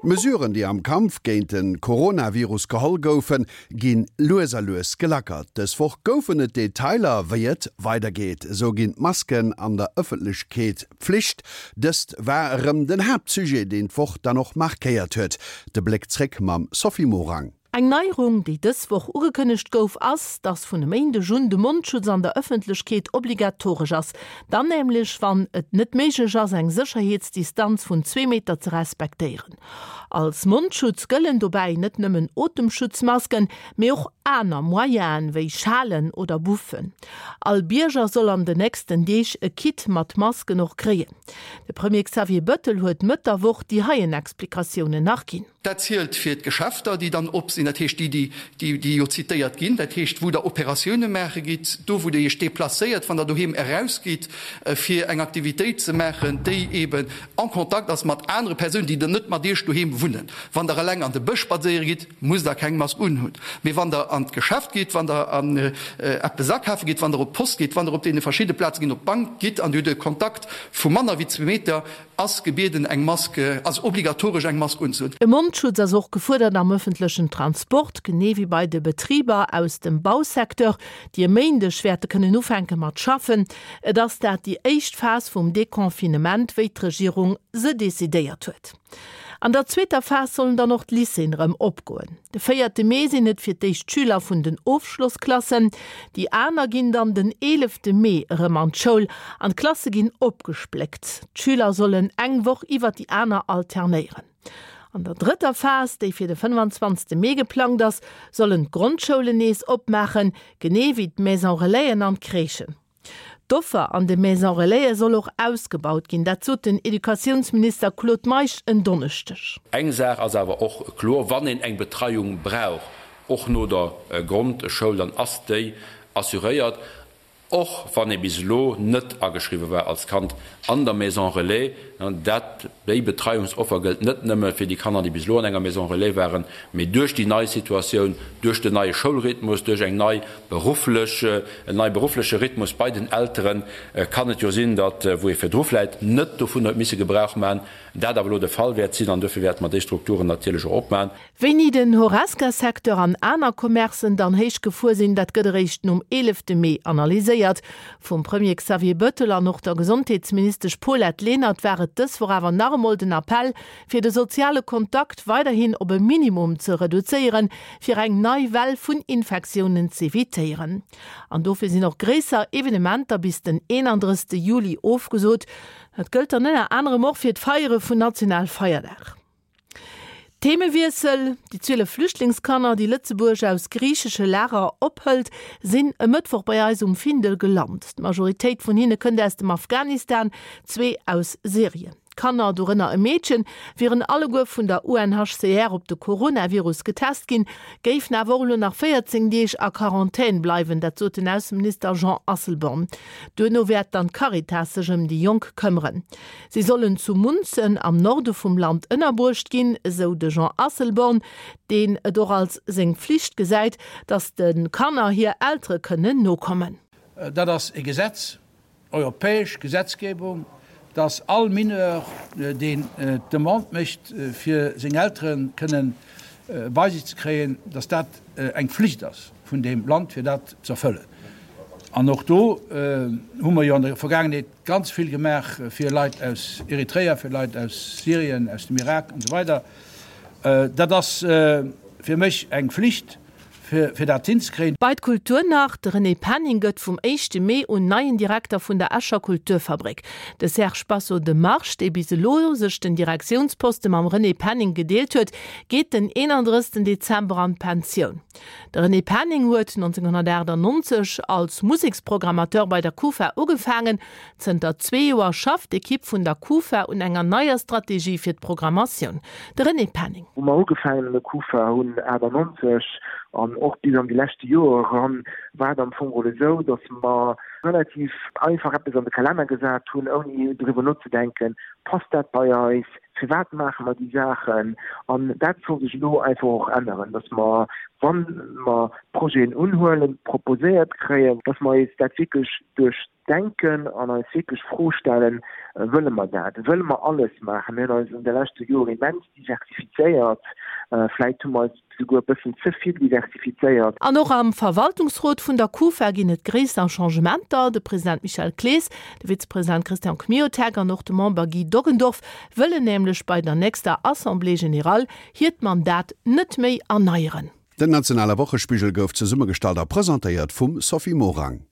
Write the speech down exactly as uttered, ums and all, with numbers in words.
D'Mesuren, déi am Kampf géint de Coronavirus geholl goufen, gi lues a lues gelackert. Dës Woch goufen et Detailer, wéi et weidergeet. Esou ginn d'Masken an der Ëffentlechkeet Pflicht. Dëst war erëm den Haaptsujet, deen d'Woch dann och markéiert huet. De Bléck zréck mam Sophie Morang. Eng Neierung, déi dës Woch ugekënnegt gouf, ass, dass vun e Méindeg un de Mondschutz an der Ëffentlechkeet obligatoresch ass. Dann nämlech, wann et net méiglech ass, eng Sécherheetsdistanz vun zwee Meter ze respektéieren. Als Mondschutz gëllen dobäi net nëmmen Otemschutzmasken, mee och aner Moyenen, wéi Schalen oder Buffen. All Bierger soll an den nächsten Deeg e Kit mat Masken och kréien. De Premier Xavier Bettel huet Mëtt der Woch déi heien Explikatiounen nach ginn. Dat zielt fir d'Geschäfter, déi dann op sinn, dat heescht déi, déi, déi jo zitéiert ginn, dat heescht wou Der Operatioune maache gitt, do wou Der Iech deplacéiert, wann Der doheem erausgitt, fir eng Aktivitéit ze maachen, déi eeben en Contact ass mat anere Persounen, déi dann net mat Iech doheem wunnen. Wann Der eleng an de Bësch spadséiere gitt, musst Der keng Mask unhunn. Mee wann Der an d'Geschäft gitt, wann Der an eppes akafe gitt, wann Der op d'Post gitt, wann Der op deene verschidde Plaze ginn, op d'Bank gitt an Dir hutt e Kontakt vu manner wéi zwee Meter, ass gebieden eng Mask, ass obligatoresch eng Mask unzehunn. E Mondschutz ass och gefuerdert am ëffentlechen Transport, genee wéi bei de Betriber aus dem Bausecteur, déi e Méindeg wäerte kënnen ufänke mat schaffen. Et ass dat déi éischt Phas vum Deconfinement, wéi d'Regierung se decidéiert huet. An der zweeter Phas sollen dann och d'Lycéeën erëm opgoen. De véierte Mee sinn et fir d'éischt d'Schüler vun den Ofschlossklassen. Déi aner ginn dann den eelefte Mee erëm an d'Schoul an d'Klasse ginn opgespléckt. D'Schüler sollen eng Woch iwwer déi aner alternéieren. An der drëtter Phas, déi fir de fënnwanzwanzegste Mee geplangt ass, sollen d'Grondschoulen nees opmaachen, genee wéi d'Maison-relaisen an d'Crèchen. D'Offer an de Maison Relaisen soll och ausgebaut ginn, dat sot den Educatiounsminister Claude Meisch en Donneschdeg. Eng Saach ass awer och kloer, Wann een eng Betreiung brauch, och no der Grondschoul, dann ass déi assuréiert, och wann ee bis elo net ageschriwwe war als Kand an der Maison Relais. Dat, déi Betreiungsoffer gëllt net nëmme fir déi Kanner, déi bis elo an enger Maison Relais waren, mee duerch déi nei Situatioun, duerch den neie Schoulrhythmus, duerch eng nei berufflech, en neie beruffleche Rhythmus bei den Elteren, kann et jo sinn, datt, wou ee virdru vläicht net dovun huet misse Gebrauch maachen, dat awer elo de Fall wäert sinn. An duerfir wäerte mer déi Strukturen natierlech och opmaachen. Wéini den Horesca-Secteur an aner Commercen dann héich gefuer sinn, dat gëtt eréischt nom eelefte Mee analyséiert. Vum Premier Xavier Bettel an och der Gesondheetsministesch Paulette Lenert war et dës Woch awer nach emol den Appell, fir de soziale Kontakt weiderhin op e Minimum ze reduzéieren, fir eng nei Well vun Infektiounen z'evitéieren. An dofir sinn och gréisser Evenementer bis den eenandrëssegste Juli ofgesot. Dat gëllt dann ënner anerem och fir d'Feiere vun Nationalfeierdag. Themewiessel, Déi zwielef Flüchtlingskanner, déi Lëtzebuerg aus griichesche Lager ophëlt, sinn e Mëttwoch bei eis um Findel gelant. D'Majoritéit vun hinne kënnt aus dem Afghanistan, zwee aus Syrien. D'Kanner, dorënner e Meedchen, wieren alleguer vun der U N H C R op de Coronavirus getest ginn, géifen awer och elo nach véierzéng Deeg a Quarantän bleiwen, dat sot den Ausseminister Jean Asselborn. Duerno wäert dann d'Caritas sech ëm déi Jonk këmmeren. Si sollen zu Munzen am Norde vum Land ënnerbruecht ginn, esou de Jean Asselborn, deen et och als seng Flicht gesäit, datt de Kanner hir Eltere kënnen nokommen. Dat ass e Gesetz, europäesch Gesetzgebung, dass all Mineur, deen d'Demande mécht, fir seng Eltere kënnen bei sech ze kréien, dass dat eng Flicht ass vun deem Land, fir dat ze erfëllen. An och do hu mer jo an der Vergaangenheet ganz vill gemaach fir Leit aus Eritrea, fir Leit aus Syrien, aus dem Irak an esou weider. Dat ass fir mech eng Flicht, fir dat hinzekréien. Bei d'Kultur nach, De René Penning gëtt vum éischte Mee un neien Direkter vun der Escher Kulturfabrik. De Serge Basso de March, dee bis elo sech den Direktiounsposte mam René Penning gedeelt huet, geet den eenandrëssegsten Dezember an d'Pensioun. De René Penning huet nonzénghonnertaachtanonzeg als Museksprogrammateur bei der Kufa ugefaangen. Zënter zwee Joer schafft d'Ekipp vun der Kufa un enger neier Strategie fir d'Programmatioun. De René Penning. Wou mer ugefaangen an der Kufa hunn achtannonzeg an och bis an déi leschte Joer eran, war et am Fong geholl esou, datt mer relativ einfach eppes an de Kalenner gesat hunn, ouni driwwer nozedenken, Passt dat bei eis? Firwat maache mer déi Saachen? An dat soll sech elo einfach och änneren, dass mer, wa mer Projeten unhuelen, proposéiert kréien, dass mer eis dat wierklech duerchdenken an eis wierklech d'Fro stellen, Wëlle mer dat? Wëlle mer alles maachen? Mir hunn eis an de leschte Joren immens diversifizéiert. Vläicht hu mer eis souguer e bëssen ze vill diversifizéiert. An och am Verwaltungsrot vun der Kufa ginn et gréisser Changementer. De President Michel Clees, de Vizepresident Christian Kmiotek an och de Member Guy Doggendorf wëllen nämlech bei der nächster Assemblée générale hiert Mandat net méi erneieren. Den nationale Wochespigel gouf zesummegestallt a presentéiert vum Sophie Morang.